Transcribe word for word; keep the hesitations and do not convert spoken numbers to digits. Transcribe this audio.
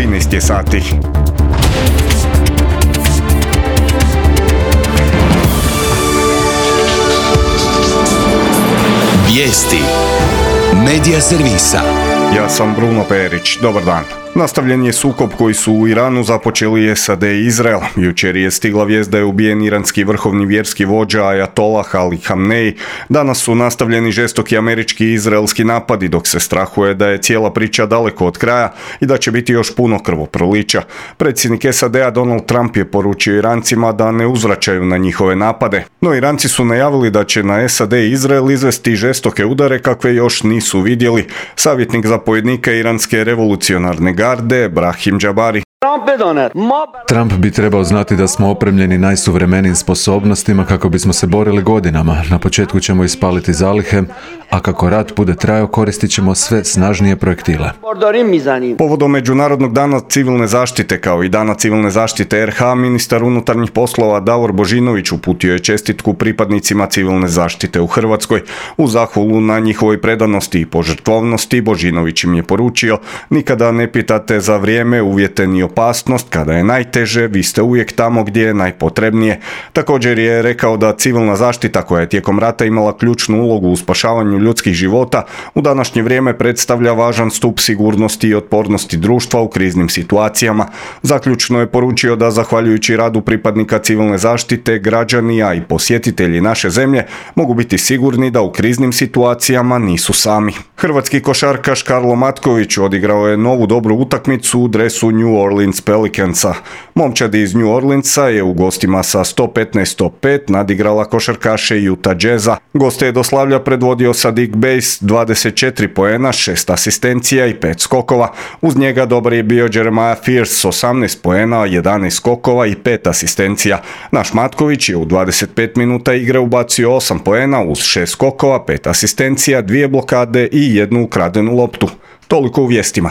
trinaest je sati. Vijesti Medija servisa. Ja sam Bruno Perić. Dobar dan. Nastavljen je sukob koji su u Iranu započeli S A D i Izrael. Jučer je stigla vijest da je ubijen iranski vrhovni vjerski vođa Ajatolah Ali Khamenei. Danas su nastavljeni žestoki američki i izraelski napadi, dok se strahuje da je cijela priča daleko od kraja i da će biti još puno krvoprolića. Predsjednik S A D-a Donald Trump je poručio Irancima da ne uzvraćaju na njihove napade. No Iranci su najavili da će na S A D i Izrael izvesti žestoke udare kakve još nisu vidjeli. Savjetnik zapovjednika iranske revolucionarne garde Brahim Džabari. Trump bi trebao znati da smo opremljeni najsuvremenijim sposobnostima kako bismo se borili godinama. Na početku ćemo ispaliti zalihe, a kako rat bude trajao koristit ćemo sve snažnije projektile. Povodom Međunarodnog dana civilne zaštite kao i dana civilne zaštite R H, ministar unutarnjih poslova Davor Božinović uputio je čestitku pripadnicima civilne zaštite u Hrvatskoj. U zahvalu na njihovoj predanosti i požrtvovnosti Božinović im je poručio: nikada ne pitate za vrijeme, uvjete ni opasnost, kada je najteže, vi ste uvijek tamo gdje je najpotrebnije. Također je rekao da civilna zaštita, koja je tijekom rata imala ključnu ulogu u spašavanju ljudskih života, u današnje vrijeme predstavlja važan stup sigurnosti i otpornosti društva u kriznim situacijama. Zaključno je poručio da zahvaljujući radu pripadnika civilne zaštite, građani, a i posjetitelji naše zemlje mogu biti sigurni da u kriznim situacijama nisu sami. Hrvatski košarkaš Karlo Matković odigrao je novu dobru utakmicu u dresu New Orleans Pelicansa. Momčad iz New Orleansa je u gostima sa sto petnaest sto pet nadigrala košarkaše Utah Jazza. Goste je do slavlja predvodio Saddiq Bey s dvadeset četiri poena, šest asistencija i pet skokova. Uz njega dobar je bio Jeremiah Fears s osamnaest poena, jedanaest skokova i pet asistencija. Naš Matković je u dvadeset pet minuta igre ubacio osam poena uz šest skokova, pet asistencija, dvije blokade i jednu ukradenu loptu. Toliko u vijestima.